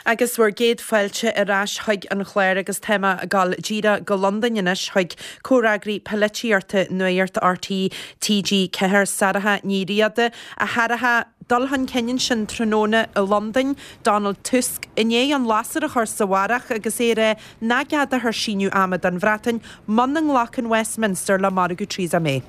Agus bhur gcéad fáilte ar ais chuig an chlár agus tá mé ag dul díreach go Londain anois chuig comhfhreagraí polaitíochta Nuacht RTÉ TG4, Sarah Ní Riada. A Sharaha, dul chun cinn ansin tráthnóna i Londain, Donald Tusk i ndiaidh an lasair a chur sa bharrach agus é ag rá nach gceadófar síneadh ama don Bhreatain muna nglacann Westminster le margadh Theresa May.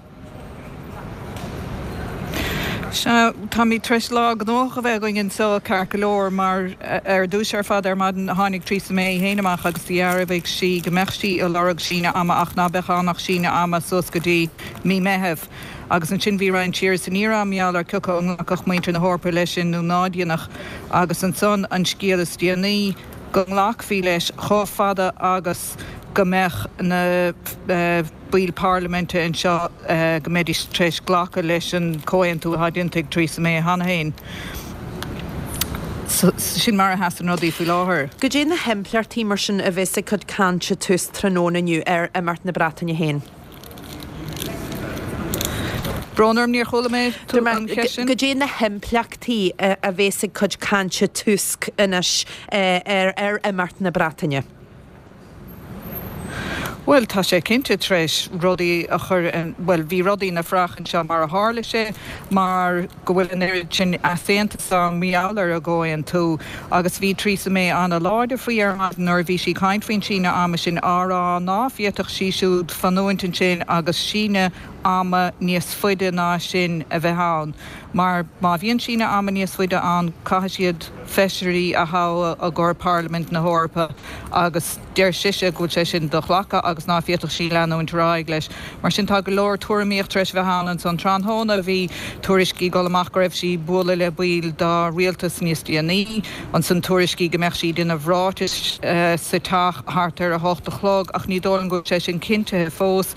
Sea, táimid tar éis lá gnóthach a bheith againn anseo, ceart go leor, mar ar dtús ar fad ar maidin tháinig Theresa May féin amach agus dhearbhaigh sí go mbeadh sí ag lorg síneadh ama ach ná beadh ann ach síneadh ama suas go dtí mí Meitheamh. Agus ansin bhí roinnt siar is aniar ann mar gheall ar cioca an nglacfadh muintir na hEorpa leis sin nó ná déanfadh. Agus ansan an scéal is déanaí, go nglacfaí leis chomh fada agus go mbeadh na baill parlaiminte anseo go mbeidís tar éis glacadh leis an comhaontú atá déanta ag Theresa May cheana féin. Sin mar a sheasann rudaí faoi láthair. Goidé na himpleachtaí mar sin a bheas ag cuid cainte Tusk tráthnóna inniu ar imeacht na Breataine féin? Brón orm, níor chuala mé an cheist sin. Goidé na himpleachtaí a bheas ag cuid cainte Tusk anois ar imeacht na Breataine? Bhuel, tá sé cinnte tar éis rudaí a chur in, bhuel, bhí rudaí ina fraoch anseo mar a tharla sé, mar go bhfuil an oiread sin easaontas ann mar gheall ar an gcomhaontú agus bhí Theresa May ana-láidir faoi ar maidin nuair a bhí sí ag caint faoin síneadh ama sin á rá ná féadfadh sí siúd fanúint ansin agus síneadh ama níos faide ná sin a bheith ann mar má bhíonn síneadh ama níos faide ann caithfidh siad feisirí a thoghadh i gcomhair Parlaimint na hEorpa agus deir sise go bhfuil sé sin do-ghlactha agus ná féadfadh sí leanúint ar aghaidh leis. Mar sin tá go leor tuairimíocht tar éis a bheith ann ansan tráthnóna. Bhí tuairiscí ag dul amach go raibh sí ag bualadh le baill dá rialtas níos déanaí. Ansan tuairiscí go mbeadh sí ag déanamh ráitis sa teach thart ar 8 a chlog ach ní dóigh liom go bhfuil sé sin cinntithe fós.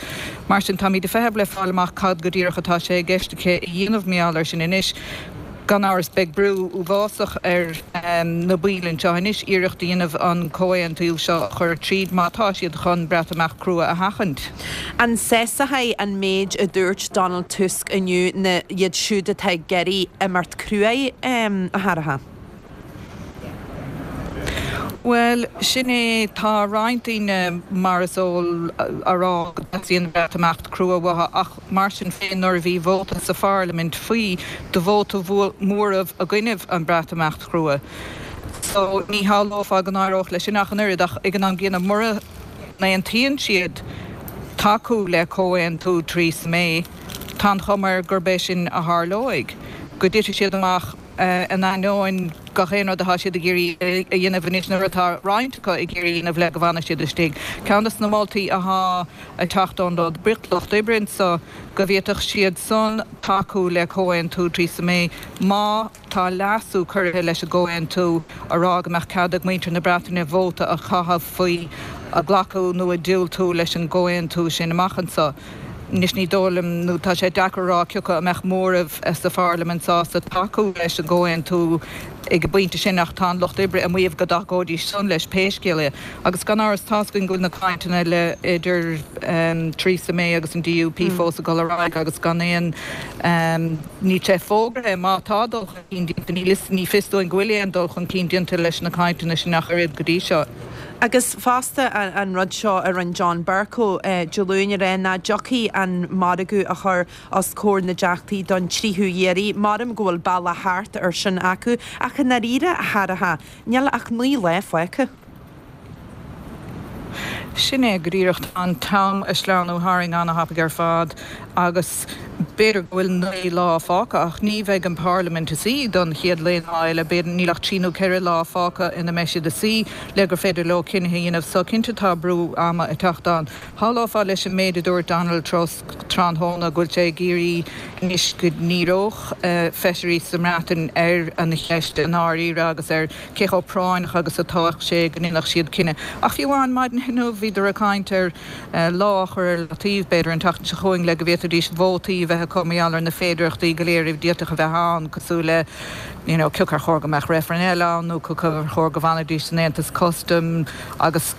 Mar sin táimid ag feitheamh le fáil amach cad go díreach atá sé i gceist aici a dhéanamh mar gheall air sin anois. Gan amhras, beidh brú uafásach ar na baill anseo anois iarracht a dhéanamh an comhaontú seo a chur tríd má tá siad chun Breatimeacht crua a sheachaint. An sásóidh an méid a dúirt Donald Tusk inniu na iad siúd atá ag iarraidh imeacht cruaidh, a Sharaha? Bhuel, sin é, tá roinnt daoine, mar is eol, a rá go dteastaíonn Breatimeacht crua uathu ach mar sin féin nuair a bhí vóta sa pharlaimint faoi, do vótáil móramh i gcoinnibh an Breatimeacht chrua. So, ní shamhlófá go n-éireodh leis sin ach an oiread ach ag an am gcéanna mura n-aontaíonn siad tacú le comhaontú Theresa May, tá an chuma air gurb é sin a tharlóidh, go dtitfidh siad amach. in ainneoin gach aon rud atá siad ag iarraidh a dhéanamh anois, nó atá roinnt acu ag iarraidh a dhéanamh le go bhfanfaidh siad istigh. Ceann de na moltaí atá ag teacht ón Lucht Oibre anseo go bhféadfadh siad san tacú le comhaontú Theresa May má tá leasú curtha leis an gcomhaontú a rá go mbeadh cead ag muintir na Breataine vóta a chaitheamh faoi a glacadh nó a diúltú leis an gcomhaontú sin amach anseo. Anois ní dóigh liom, nó tá sé deacair a rá cioca a mbeadh móramh sa pharlaimint sásta tacú leis an gcomhaontú ag an bpointe sin ach tá an Lucht Oibre ag maíomh go dtacóidís san leis pé scéal é. Agus gan amhras tá's againn go bhfuil na cainteanna le idir Theresa May agus an DUP fós ag dul ar aghaidh agus gan aon níl sé fógraithe má tá dul chun cinn déanta níl ní fios dúinn go bhfuil aon dul chun cinn déanta leis na cainteanna sin ach oiread go dtí seo. Agus fosta an rud seo a rinne John Bercow Dé Luain a rá nach dtiocfaidh an margadh a chur os comhair na dTeachtaí don tríú hiarraidh. Maram go bhfuil bealach thart ar sin acu ach i ndáiríre, a Sharaha, níl ach 9 lá fágtha. Sin é go díreach. Tá an t-am ag sleamhnú tharainn ana-thapaidh ar fad agus b'fhéidir go bhfuil 9 lá fágtha ach ní bheidh an Pharlaimint ina suí don chéad lá eile. B'fhéidir níl ach 3 nó 4 lá fágtha ina mbeidh siad ina suí le gur féidir leo cinnithe a dhéanamh. So cinnte tá brú ama ag teacht ann. Shamhlófá leis an méid a dúirt Donald Tusk tráthnóna go bhfuil sé ag iarraidh anois go ndíreodh feisirí sa mBreatain ar an cheist i ndáiríre agus ar cé chomh práinneach agus atá sé go ndéanfadh siad cinneadh. Ach fiú amháin maidin inniu bhíodar ag caint ar lá a chur ar leataobh, b'fhéidir an tseachtain seo chugainn, le go bhféadfaidís vótaí a bheith acu mar gheall ar na féidearthachtaí go léir a d'fhéadfadh a bheith ann, cosúil le you know cioca ar chóir go mbeadh reifreann eile ann nó cioca ar chóir go bhfanfaidís san Aontas Custaim agus.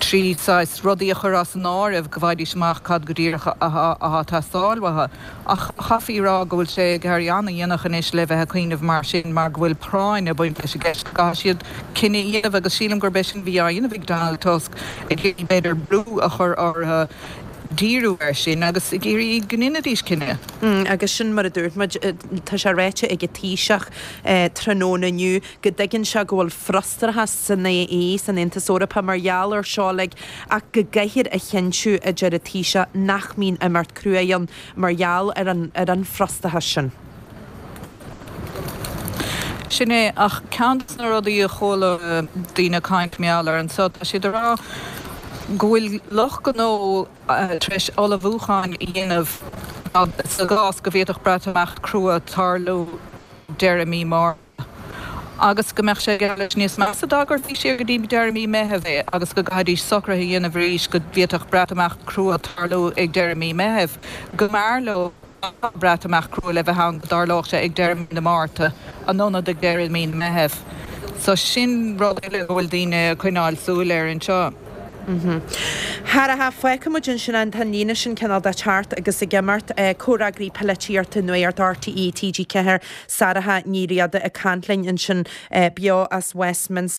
trí saghas rudaí a chur as an áireamh go bhfaighidís amach cad go díreach atá ag teastáil uathu. Ach chaithfí a rá go bhfuil sé ag éirí an-dhéanach anois le bheith ag cuimhneamh mar sin mar go bhfuil práinn ag baint leis an gceist go gcaithfidh siad cinneadh a dhéanamh agus sílim gurb é sin a bhí á dhéanamh ag Donald Tusk ag iarraidh b'fhéidir brú a chur orthu díriú air sin agus ag iarraidh go ndéanfaidís cinneadh. Agus sin mar a dúirt muid, tá sé ráite ag an Taoiseach tráthnóna inniu go dtuigeann sé go bhfuil frustrachas san AE, san Aontas Eorpach, mar gheall air seo uilig ach go gcaithfear a chinntiú, a deir an Taoiseach, nach mbíonn imeacht crua ann mar gheall ar an ar an bhfrustrachas sin. Sin é, ach ceann de na rudaí a chuala daoine ag caint mar gheall air anseo, tá siad ag rá go bhfuil lucht gnó tar éis ullmhúcháin a dhéanamh sa gcás go bhféadfadh Breatimeacht crua tarlú deireadh mí Márta agus go mbeadh sé geall leis níos measa dá gcuirfí siar go dtí deireadh mí Meithimh é agus go gcaithfidís socruithe a dhéanamh arís go bhféadfadh Breatimeacht crua tarlú ag deireadh mí Meithimh. Go mb'fhearr leo Breatimeacht crua le bheith ann go dtarlódh sé ag deireadh mí na Márta in ionad ag deireadh mí na Meithimh. So sin rud eile go bhfuil daoine ag coinneáil súil air anseo. Sháraiche, fágfaidh muid ansin é, tá an líne sin cineál de teacht agus ag imeacht. Comhfhreagraí Polaitíochta Nuacht RTÉ TG4, Sarah Ní Riada ag caint linn ansin beo as Westminster.